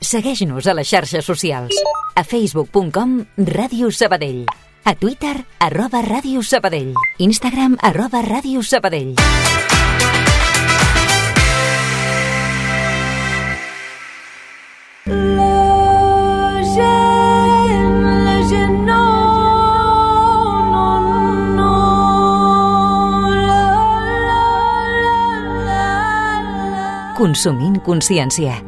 Segueix-nos a les xarxes socials. A facebook.com/Ràdio Sabadell. A Twitter, @Ràdio Sabadell. Instagram, @Ràdio Sabadell. Consumint consciència.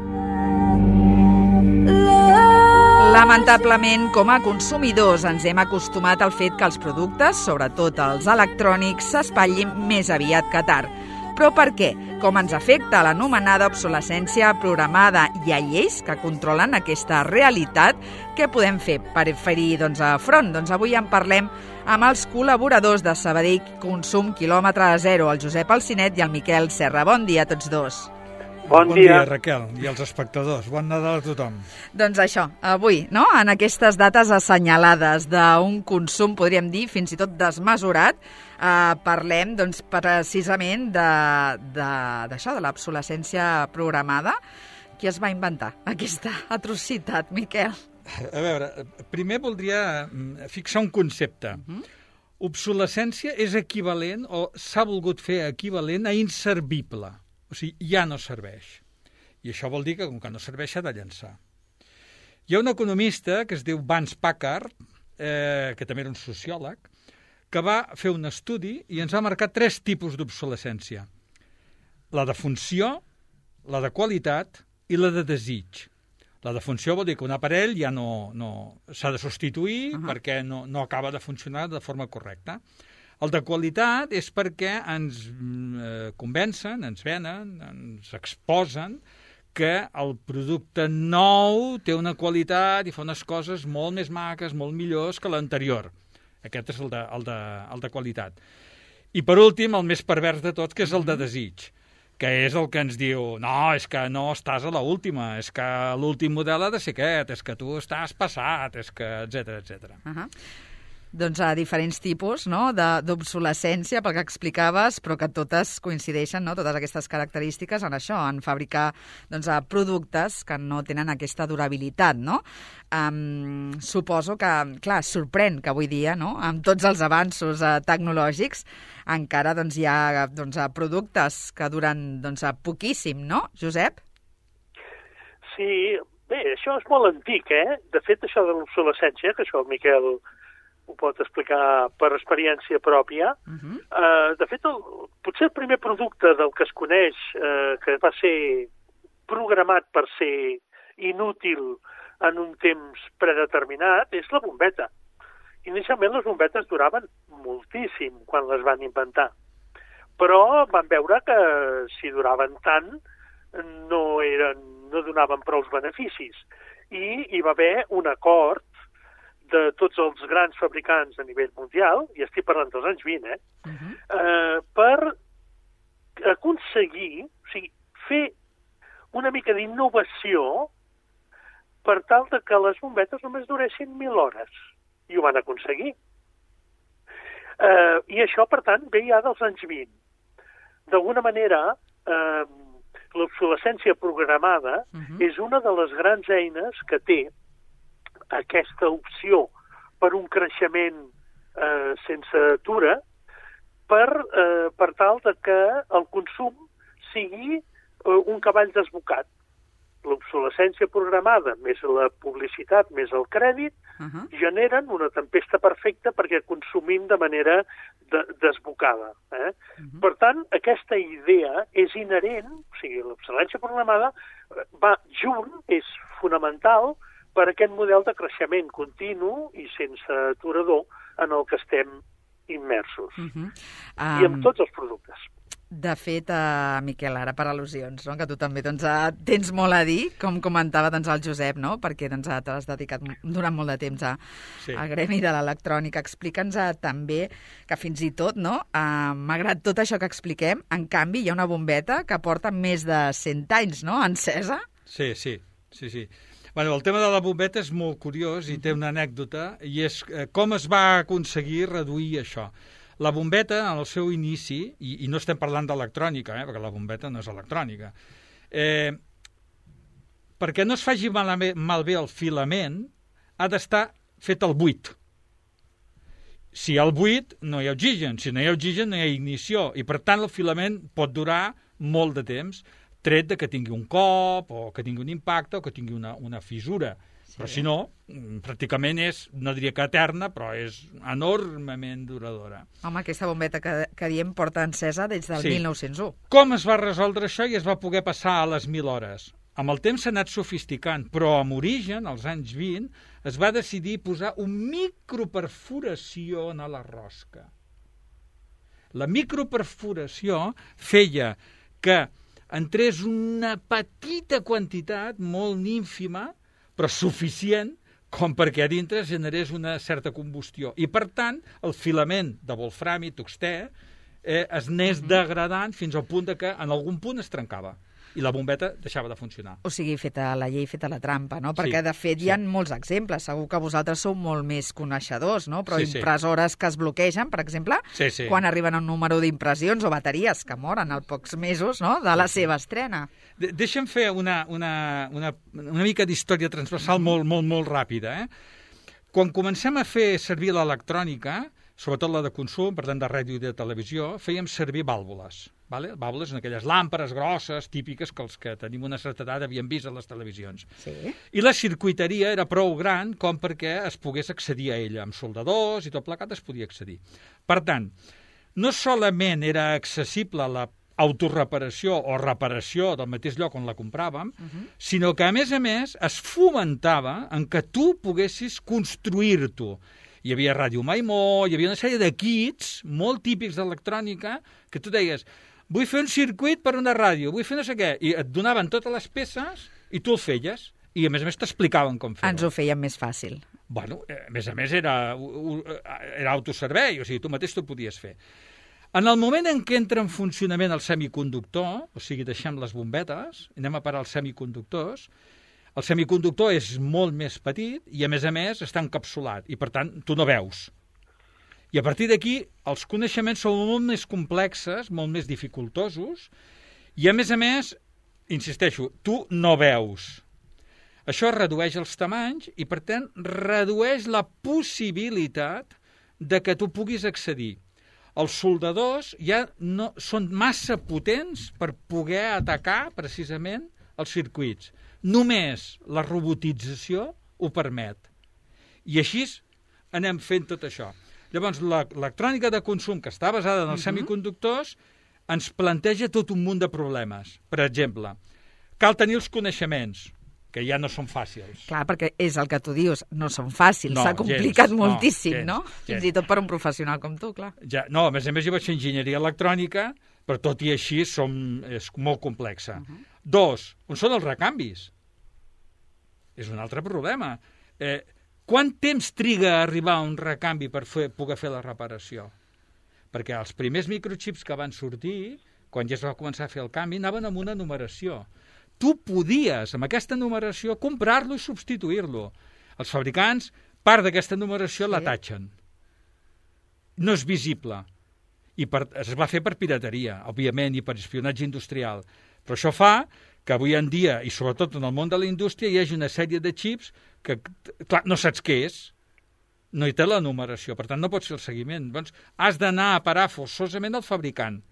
Lamentablement, com a consumidors, ens hem acostumat al fet que els productes, sobretot els electrònics, s'espatllin més aviat que tard. Però per què? Com ens afecta l'anomenada obsolescència programada? Hi ha lleis que controlen aquesta realitat? Què podem fer per fer-hi front? Avui en parlem amb els col·laboradors de Sabadell Consum Quilòmetre Zero, el Josep Alcinet i el Miquel Serra. Bon dia a tots dos. Bon dia, Raquel, i als espectadors. Bon Nadal a tothom. Doncs això, avui, no?, en aquestes dates assenyalades d'un consum, podríem dir, fins i tot desmesurat, parlem, precisament d'això, de l'obsolescència programada. Qui es va inventar aquesta atrocitat, Miquel? A veure, primer voldria fixar un concepte. Obsolescència és equivalent, o s'ha volgut fer equivalent a inservible. O sigui, ja no serveix. I això vol dir que, com que no serveix, s'ha de llançar. Hi ha un economista que es diu Vance Packard, que també era un sociòleg, que va fer un estudi i ens va marcar 3 tipus d'obsolescència. La de funció, la de qualitat i la de desig. La de funció vol dir que un aparell ja no s'ha de substituir perquè no acaba de funcionar de forma correcta. El de qualitat és perquè ens convencen, ens venen, ens exposen que el producte nou té una qualitat i fa unes coses molt més maques, molt millors que l'anterior. Aquest és el de qualitat. I per últim, el més pervers de tots, que és el de desig, que és el que ens diu, no, és que no estàs a l'última, és que l'últim model ha de ser aquest, és que tu estàs passat, és que, etcètera. Doncs a diferents tipus, no?, d'obsolescència, pel que explicaves, però que totes coincideixen, no?, totes aquestes característiques en això, en fabricar productes que no tenen aquesta durabilitat, no? Suposo que, clar, sorprèn que avui dia, no?, amb tots els avanços tecnològics, encara hi ha productes que duren poquíssim, no, Josep? Sí, bé, això és molt antic, eh? De fet, això de l'obsolescència, que això el Miquel ho pot explicar per experiència pròpia. De fet, potser el primer producte del que es coneix que va ser programat per ser inútil en un temps predeterminat és la bombeta. Inicialment les bombetes duraven moltíssim quan les van inventar, però van veure que si duraven tant no donaven prou beneficis i hi va haver un acord de tots els grans fabricants a nivell mundial, i estic parlant dels anys 20, per aconseguir, o sigui, fer una mica d'innovació per tal de que les bombetes només duressin 1.000 hores. I ho van aconseguir. I això, per tant, ve ja dels anys 20. D'alguna manera, l'obsolescència programada és una de les grans eines que té aquesta opció per un creixement sense atura per tal de que el consum sigui un cavall desbocat. L'obsolescència programada, més la publicitat, més el crèdit, generen una tempesta perfecta perquè consumim de manera desbocada. Per tant, aquesta idea és inherent, o sigui, l'obsolescència programada va junt, és fonamental per aquest model de creixement continu i sense aturador en el que estem immersos. I amb tots els productes. De fet, Miquel, ara per al·lusions, no?, que tu també tens molt a dir, com comentava el Josep, no?, perquè t'has dedicat durant molt de temps al gremi de l'electrònica. Explica'ns també que fins i tot, no?, malgrat tot això que expliquem, en canvi hi ha una bombeta que porta més de 100 anys, no?, encesa. Sí. Bueno, el tema de la bombeta és molt curiós i té una anècdota, i és com es va aconseguir reduir això. La bombeta, en el seu inici, i no estem parlant d'electrònica, perquè la bombeta no és electrònica, perquè no es faci malbé el filament, ha d'estar fet al buit. Si hi ha el buit, no hi ha oxigen. Si no hi ha oxigen, no hi ha ignició. I, per tant, el filament pot durar molt de temps, tret de que tingui un cop, o que tingui un impacte, o que tingui una fissura. Sí. Però, si no, pràcticament és, no diria que eterna, però és enormement duradora. Home, aquesta bombeta que diem porta encesa des del 1901. Com es va resoldre això i es va poder passar a les 1.000 hores? Amb el temps s'ha anat sofisticant, però amb origen, als anys 20, es va decidir posar un microperforació a la rosca. La microperforació feia que entrés una petita quantitat, molt ínfima, però suficient, com perquè a dintre generés una certa combustió. I, per tant, el filament de wolframi, tungstè, es anés degradant fins al punt que en algun punt es trencava i la bombeta deixava de funcionar. O sigui, feta la llei, feta la trampa, no? Perquè, de fet, hi ha molts exemples. Segur que vosaltres sou molt més coneixedors, no? Però impressores que es bloquegen, per exemple, quan arriben a un número d'impressions o bateries que moren al pocs mesos, no?, de la seva estrena. Deixa'm fer una mica d'història transversal molt ràpida. Quan comencem a fer servir l'electrònica, sobretot la de consum, per tant de ràdio i de televisió, fèiem servir vàlvules. Vàlvules són aquelles làmperes grosses, típiques, que els que tenim una certa edat havíem vist a les televisions. I la circuiteria era prou gran com perquè es pogués accedir a ella. Amb soldadors i tot plegat es podia accedir. Per tant, no solament era accessible la autorreparació o reparació del mateix lloc on la compràvem, sinó que, a més, es fomentava en que tu poguessis construir-t'ho. Hi havia Ràdio Maimó, hi havia una sèrie de kits molt típics d'electrònica que tu deies, vull fer un circuit per una ràdio, vull fer no sé què, i et donaven totes les peces i tu el feies, i a més t'explicaven com fer-ho. Ens ho feien més fàcil. Bueno, a més era autoservei, o sigui, tu mateix t'ho podies fer. En el moment en què entra en funcionament el semiconductor, o sigui, deixem les bombetes, anem a parar els semiconductors, el semiconductor és molt més petit i, a més, està encapsulat i, per tant, tu no veus. I a partir d'aquí, els coneixements són molt més complexes, molt més dificultosos i, a més, insisteixo, tu no veus. Això redueix els tamanys i, per tant, redueix la possibilitat de que tu puguis accedir. Els soldadors ja no són massa potents per poder atacar, precisament, els circuits. Només la robotització ho permet. I així anem fent tot això. Llavors, l'electrònica de consum, que està basada en els semiconductors, ens planteja tot un munt de problemes. Per exemple, cal tenir els coneixements, que ja no són fàcils. Clar, perquè és el que tu dius, no són fàcils, s'ha complicat moltíssim, no? Fins i tot per un professional com tu, clar. No, a més jo vaig fer enginyeria electrònica, però tot i així és molt complexa. 2, on són els recanvis? És un altre problema. Quant temps triga a arribar a un recanvi per poder fer la reparació? Perquè els primers microchips que van sortir, quan ja es va començar a fer el canvi, anaven amb una numeració. Tu podies, amb aquesta numeració, comprar-lo i substituir-lo. Els fabricants, part d'aquesta numeració la tatxen. No és visible. I es va fer per pirateria, òbviament, i per espionatge industrial. Però això fa que avui en dia, i sobretot en el món de la indústria, hi hagi una sèrie de xips que, clar, no saps què és, no hi té la numeració, per tant no pots fer el seguiment. Doncs has d'anar a parar forçosament al fabricant.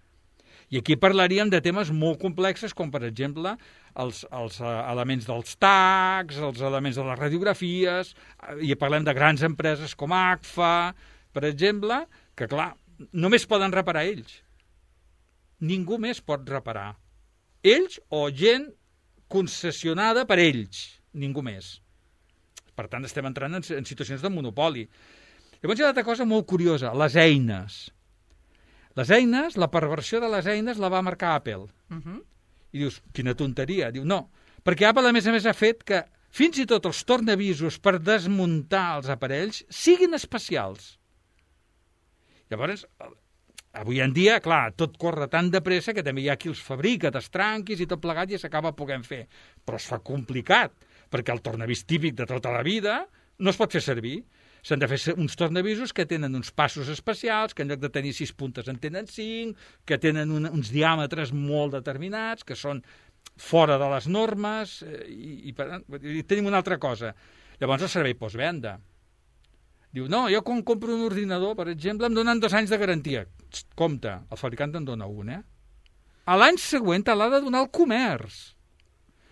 I aquí parlaríem de temes molt complexes, com per exemple els elements dels tags, els elements de les radiografies, i parlem de grans empreses com Agfa, per exemple, que clar, només poden reparar ells. Ningú més pot reparar. Ells o gent concessionada per ells, ningú més. Per tant, estem entrant en situacions de monopoli. Llavors hi ha una altra cosa molt curiosa, les eines. Les eines, la perversió de les eines la va marcar Apple. I dius, quina tonteria. Diu, no, perquè Apple a més ha fet que fins i tot els tornavisos per desmuntar els aparells siguin especials. Llavors, avui en dia, clar, tot corre tan de pressa que també hi ha qui els fabrica, t'estranquis i tot plegat i s'acaba podent fer. Però es fa complicat, perquè el tornavís típic de tota la vida no es pot fer servir. S'han de fer uns tornavisos que tenen uns passos especials, que en lloc de tenir 6 puntes en tenen 5, que tenen uns diàmetres molt determinats, que són fora de les normes, i tenim una altra cosa. Llavors el servei postvenda. Diu, no, jo quan compro un ordinador, per exemple, em donen 2 anys de garantia. Compte, el fabricant te'n dona un, A l'any següent te l'ha de donar el comerç.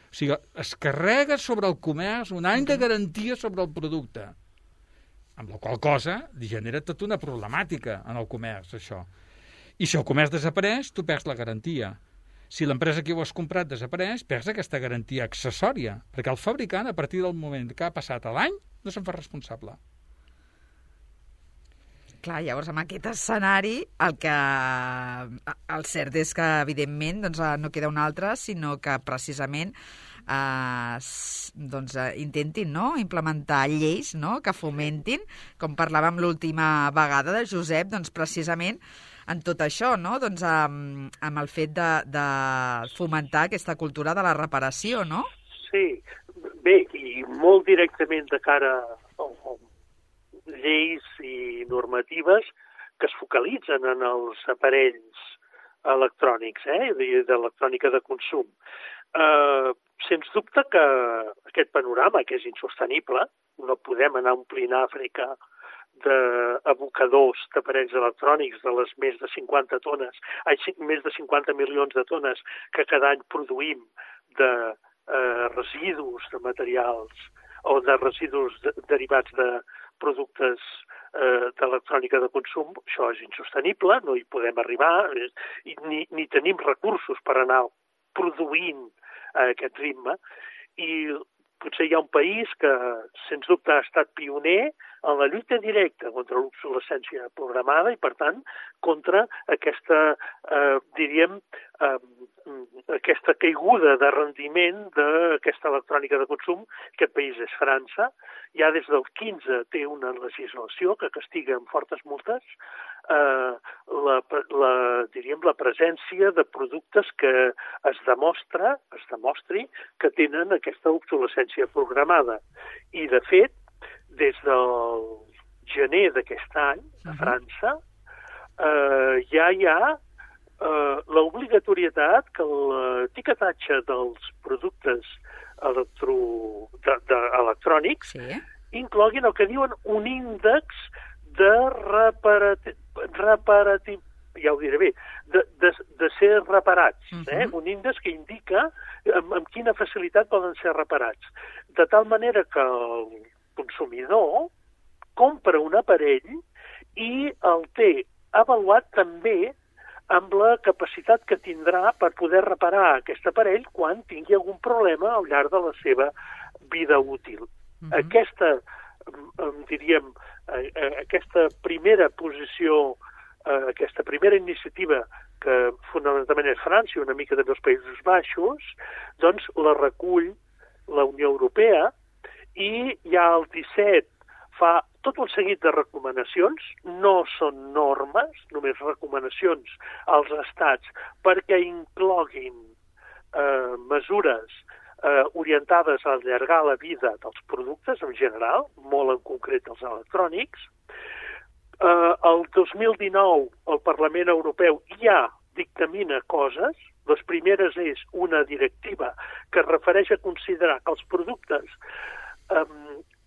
O sigui, es carrega sobre el comerç un any de garantia sobre el producte. Amb la qual cosa genera tota una problemàtica en el comerç, això. I si el comerç desapareix, tu perds la garantia. Si l'empresa que ho has comprat desapareix, perds aquesta garantia accessòria, perquè el fabricant, a partir del moment que ha passat l'any, no se'n fa responsable. Clar, llavors amb aquest escenari el cert és que evidentment doncs, no queda un altre, sinó que precisament intentin implementar lleis que fomentin, com parlàvem l'última vegada de Josep, doncs precisament en tot això, doncs amb el fet de fomentar aquesta cultura de la reparació, no? Sí, bé, i molt directament de cara a lleis i normatives que es focalitzen en els aparells electrònics, d'electrònica de consum. Sens dubte que aquest panorama, que és insostenible, no podem anar omplint Àfrica d'abocadors d'aparells electrònics de les més de 50 milions de tones que cada any produïm de residus de materials o de residus derivats de productes d'electrònica de consum. Això és insostenible, no hi podem arribar, ni tenim recursos per anar produint a aquest ritme, i potser hi ha un país que, sens dubte, ha estat pioner en la lluita directa contra l'obsolescència programada i, per tant, contra aquesta, aquesta caiguda de rendiment d'aquesta electrònica de consum. Aquest país és França. Ja des del 15 té una legislació que castiga amb fortes multes la presència de productes que es demostri que tenen aquesta obsolescència programada. I, de fet, des del gener d'aquest any, a França, ja hi ha l'obligatorietat que l'etiquetatge dels productes electrònics incloguin el que diuen un índex de ja ho diré bé, de ser reparats. Un índex que indica amb quina facilitat poden ser reparats. De tal manera que el consumidor compra un aparell i el té avaluat també amb la capacitat que tindrà per poder reparar aquest aparell quan tingui algun problema al llarg de la seva vida útil. Aquesta, diríem, aquesta primera posició, aquesta primera iniciativa, que fonamentalment és França i una mica també els Països Baixos, doncs la recull la Unió Europea i ja el 17 fa tot un seguit de recomanacions, no són normes, només recomanacions als estats perquè incloguin mesures orientades a allargar la vida dels productes en general, molt en concret els electrònics. El 2019 el Parlament Europeu ja dictamina coses. Les primeres és una directiva que es refereix a considerar que els productes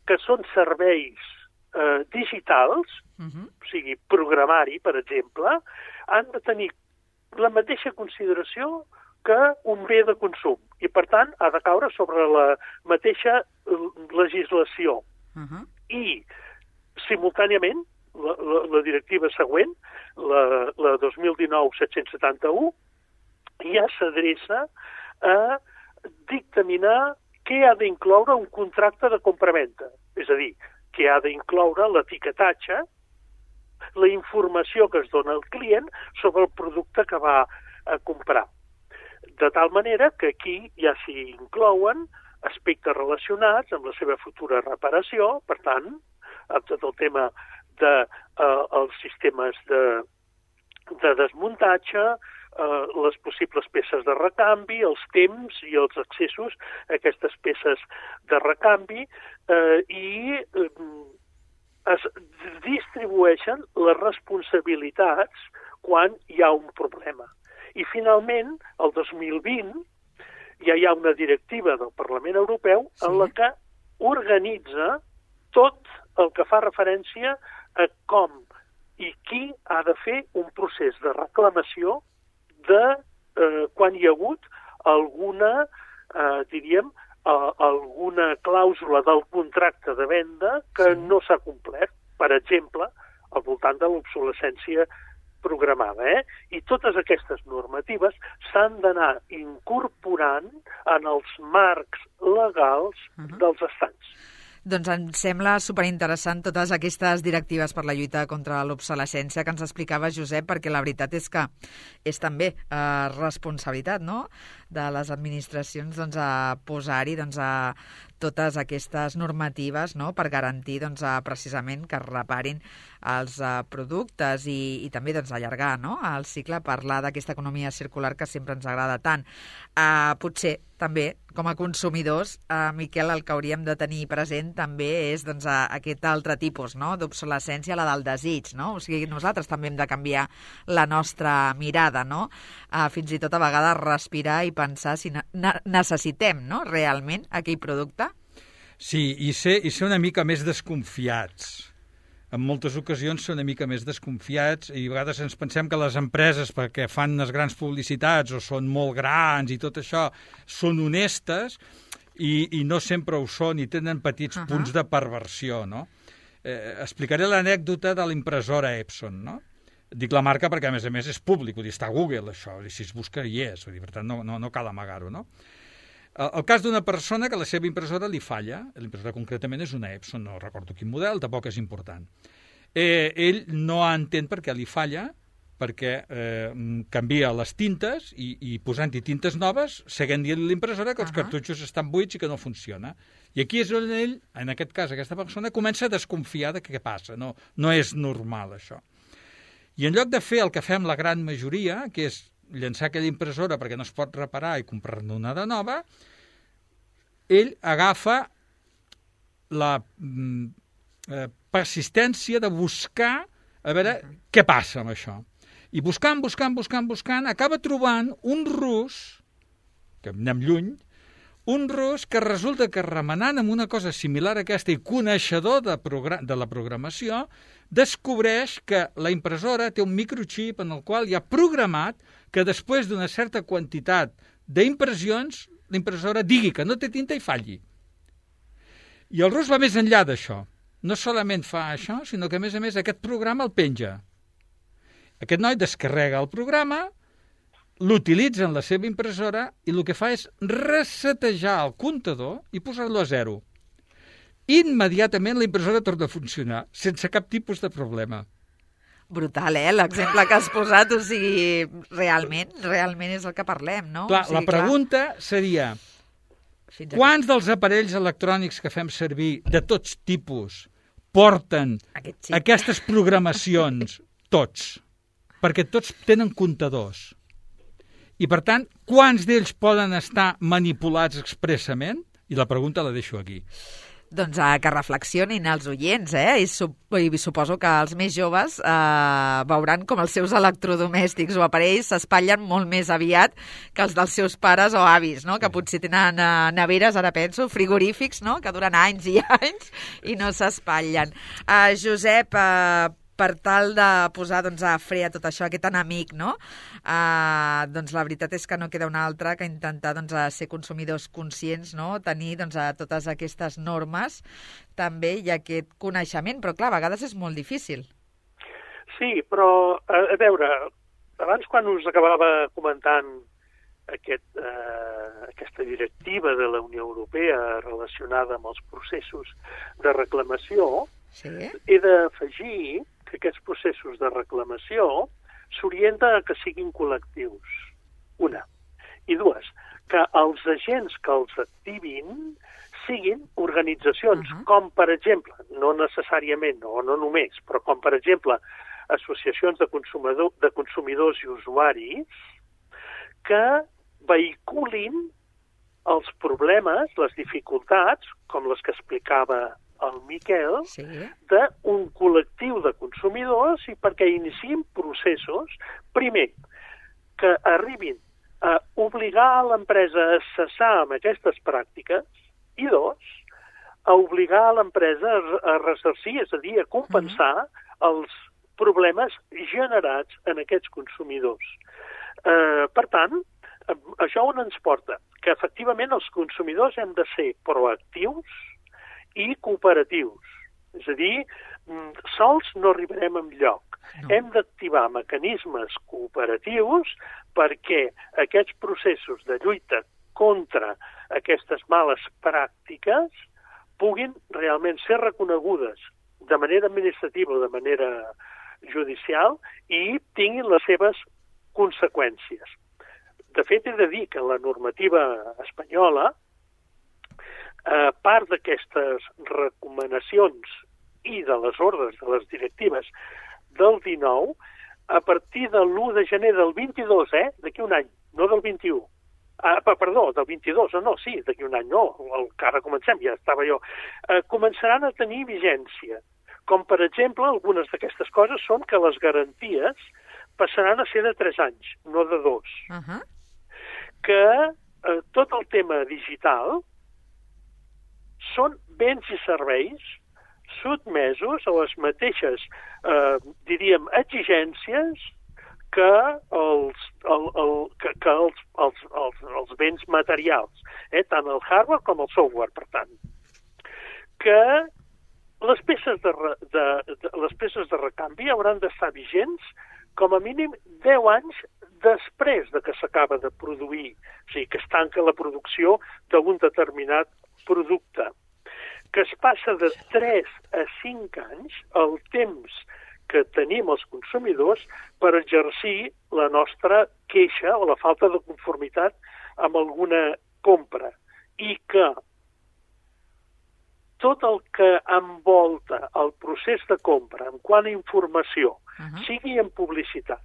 que són serveis digitals, o sigui, programari, per exemple, han de tenir la mateixa consideració que un bé de consum i, per tant, ha de caure sobre la mateixa legislació. I, simultàniament, la directiva següent, la 2019-771, ja s'adreça a dictaminar què ha d'incloure un contracte de compravenda. És a dir, què ha d'incloure l'etiquetatge, la informació que es dona al client sobre el producte que va a comprar. De tal manera que aquí ja s'hi inclouen aspectes relacionats amb la seva futura reparació, per tant, amb tot el tema dels sistemes de desmuntatge, les possibles peces de recanvi, els temps i els accessos a aquestes peces de recanvi i es distribueixen les responsabilitats quan hi ha un problema. I finalment, el 2020, ja hi ha una directiva del Parlament Europeu en la que organitza tot el que fa referència a com i qui ha de fer un procés de reclamació de quan hi ha hagut alguna, diríem, alguna clàusula del contracte de venda que no s'ha complert, per exemple, al voltant de l'obsolescència programada. I totes aquestes normatives s'han d'anar incorporant en els marcs legals dels estats. Doncs em sembla superinteressant totes aquestes directives per la lluita contra l'obsolescència que ens explicava Josep, perquè la veritat és que és també responsabilitat, no?, de les administracions a posar-hi a totes aquestes normatives, no?, per garantir precisament que es reparin els productes i també allargar, no?, el cicle, parlar d'aquesta economia circular que sempre ens agrada tant. Potser també, com a consumidors, Miquel, el que hauríem de tenir present també és aquest altre tipus, no?, d'obsolescència, la del desig, no? O sigui, nosaltres també hem de canviar la nostra mirada, no?, fins i tot a vegades respirar i pensar si necessitem, no?, realment aquell producte. Sí, i ser una mica més desconfiats. En moltes ocasions ser una mica més desconfiats i a vegades ens pensem que les empreses, perquè fan unes grans publicitats o són molt grans i tot això, són honestes i no sempre ho són i tenen petits punts de perversió, no? Explicaré l'anècdota de la impressora Epson, no? Dic la marca perquè, a més, és públic, vull dir, està a Google, això, i si es busca hi és, vull dir, per tant, no cal amagar-ho, no? El cas d'una persona que la seva impressora li falla, l'impressora concretament és una Epson, no recordo quin model, tampoc és important. Ell no entén per què li falla, perquè canvia les tintes i posant-hi tintes noves, seguint dient l'impressora que els cartutxos estan buits i que no funciona. I aquí és on ell, en aquest cas, aquesta persona, comença a desconfiar de què passa. No és normal, això. I en lloc de fer el que fem la gran majoria, que és llançar aquella impressora perquè no es pot reparar i comprar-ne una de nova, ell agafa la persistència de buscar a veure què passa amb això. I buscant, acaba trobant un rus, que anem lluny, un rus que resulta que remenant amb una cosa similar a aquesta i coneixedor de la programació, descobreix que la impressora té un microxip en el qual hi ha programat que després d'una certa quantitat d'impressions la impressora digui que no té tinta i falli. I el rus va més enllà d'això. No solament fa això, sinó que a més aquest programa el penja. Aquest noi descarrega el programa, l'utilitza en la seva impressora i el que fa és resetejar el comptador i posar-lo a 0. Immediatament la impressora torna a funcionar, sense cap tipus de problema. Brutal, l'exemple que has posat, o sigui, realment és el que parlem, no? Clar, la pregunta seria, quants dels aparells electrònics que fem servir de tots tipus porten aquestes programacions? Tots. Perquè tots tenen comptadors. I, per tant, quants d'ells poden estar manipulats expressament? I la pregunta la deixo aquí. Doncs que reflexionin els oients, i suposo que els més joves veuran com els seus electrodomèstics o aparells s'espatllen molt més aviat que els dels seus pares o avis, no? Que potser tenen neveres, ara penso, frigorífics, no? Que duren anys i anys i no s'espatllen. Josep, per tal de posar a fre a tot això, aquest enemic, no? Doncs la veritat és que no queda una altra que intentar ser consumidors conscients, no? Tenir totes aquestes normes també i aquest coneixement, però clar, a vegades és molt difícil. Sí, però a veure, abans quan us acabava comentant aquesta directiva de la Unió Europea relacionada amb els processos de reclamació, he d'afegir que aquests processos de reclamació s'orienten a que siguin col·lectius, una. I dues, que els agents que els activin siguin organitzacions, com per exemple, no necessàriament, o no només, però com per exemple associacions de consumidors i usuaris que vehiculin els problemes, les dificultats, com les que explicava el Miquel, d'un col·lectiu de consumidors i perquè iniciïn processos, primer, que arribin obligar l'empresa a cessar amb aquestes pràctiques i 2, a obligar l'empresa a ressarcir, és a dir, a compensar els problemes generats en aquests consumidors. Per tant, això on ens porta? Que efectivament els consumidors hem de ser proactius i cooperatius. És a dir, sols no arribarem enlloc. No. Hem d'activar mecanismes cooperatius perquè aquests processos de lluita contra aquestes males pràctiques puguin realment ser reconegudes de manera administrativa o de manera judicial i tinguin les seves conseqüències. De fet, he de dir que la normativa espanyola, part d'aquestes recomanacions i de les ordres, de les directives del 19, a partir de l'1 de gener del 22, d'aquí un any, no del 21. Perdó, del 22, d'aquí un any, no, que ara comencem, ja estava jo. Començaran a tenir vigència. Com, per exemple, algunes d'aquestes coses són que les garanties passaran a ser de 3 anys, no de 2. Que tot el tema digital són béns i serveis sotmesos a les mateixes, diríem, exigències que els béns materials, tant el hardware com el software, per tant. Que les peces de recanvi hauran d'estar vigents com a mínim 10 anys després de que s'acaba de produir, o sigui, que es tanca la producció d'un determinat producte, que es passa de 3 a 5 anys el temps que tenim els consumidors per exercir la nostra queixa o la falta de conformitat amb alguna compra, i que tot el que envolta el procés de compra en quant a informació, sigui en publicitat,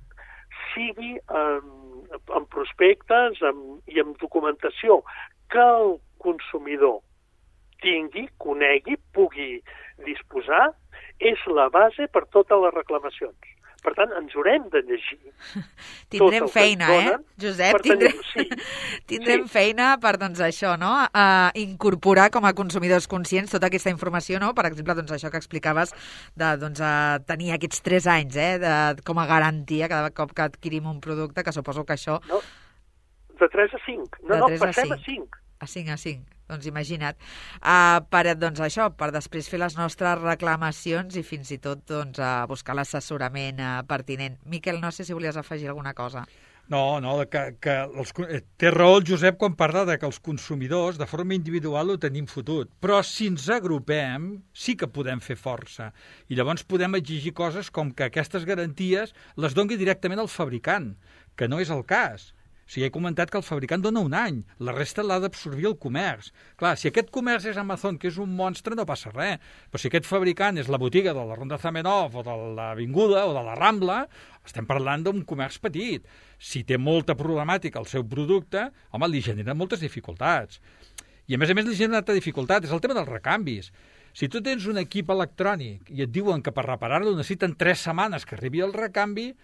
sigui en prospectes i en documentació que el consumidor tingui, conegui, pugui disposar, és la base per totes les reclamacions. Per tant, ens haurem de llegir. Tindrem feina, Josep? Tindrem feina per, doncs, això, no? Incorporar com a consumidors conscients tota aquesta informació, no? Per exemple, doncs, això que explicaves de tenir aquests 3 anys, com a garantia cada cop que adquirim un producte, que suposo que això... No, de 3 a 5. Passem a 5. A 5. Doncs imagina't. Per després fer les nostres reclamacions i fins i tot buscar l'assessorament pertinent. Miquel, no sé si volies afegir alguna cosa. No, té raó el Josep quan parla de que els consumidors de forma individual ho tenim fotut, però si ens agrupem sí que podem fer força i llavors podem exigir coses com que aquestes garanties les doni directament al fabricant, que no és el cas. O sigui, he comentat que el fabricant dona un any, la resta l'ha d'absorbir el comerç. Clar, si aquest comerç és Amazon, que és un monstre, no passa res. Però si aquest fabricant és la botiga de la Ronda Zamenhof o de l'Avinguda o de la Rambla, estem parlant d'un comerç petit. Si té molta problemàtica el seu producte, home, li genera moltes dificultats. I a més li genera una altra dificultat, és el tema dels recanvis. Si tu tens un equip electrònic i et diuen que per reparar-lo necessiten 3 setmanes que arribi el recanvi,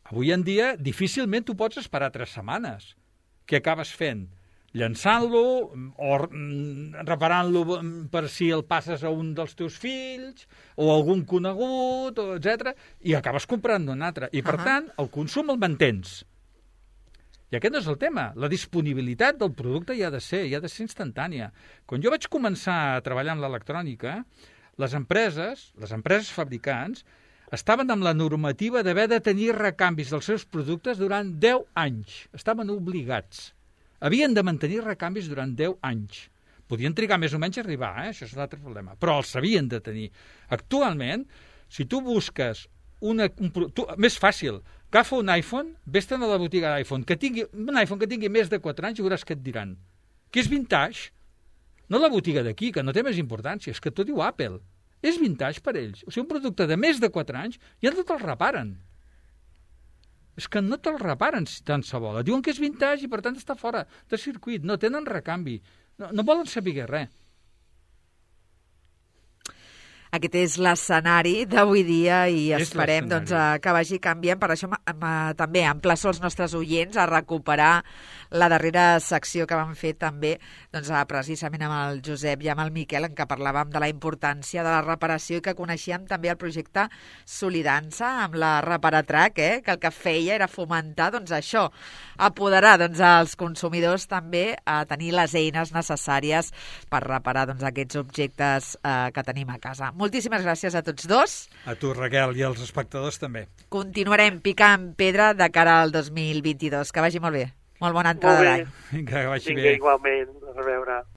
avui en dia difícilment tu pots esperar 3 setmanes. Què acabes fent? Llançant-lo o reparant-lo per si el passes a un dels teus fills o a algun conegut, etc. I acabes comprant un altre. I, per tant, el consum el mantens. I aquest no és el tema. La disponibilitat del producte hi ha de ser instantània. Quan jo vaig començar a treballar en l'electrònica, les empreses fabricants, estaven amb la normativa d'haver de tenir recanvis dels seus productes durant 10 anys. Estaven obligats. Havien de mantenir recanvis durant 10 anys. Podien trigar més o menys a arribar, això és un altre problema, però els havien de tenir. Actualment, si tu busques més fàcil, agafa un iPhone, vés-te'n a la botiga d'iPhone, un iPhone que tingui més de 4 anys i veuràs què et diran. Que és vintage. No la botiga d'aquí, que no té més importància, és que t'ho diu Apple. És vintage per ells. O sigui, un producte de més de 4 anys ja no te'l reparen. És que no te'l reparen si tant se vol. Diuen que és vintage i per tant està fora de circuit. No tenen recanvi. No volen saber res. aquest és l'escenari d'avui dia i És esperem que vagi canviant. Per això també emplaço els nostres oients a recuperar la darrera secció que vam fer també precisament amb el Josep i amb el Miquel, en què parlàvem de la importància de la reparació i que coneixíem també el projecte Solidança amb la Reparatrac, que el que feia era fomentar això, apoderar els consumidors també a tenir les eines necessàries per reparar aquests objectes que tenim a casa. Moltíssimes gràcies a tots dos. A tu, Raquel, i als espectadors també. Continuarem picant pedra de cara al 2022. Que vagi molt bé. Molt bona entrada d'any. Vinga, que vagi bé. Vinga, igualment. A reveure.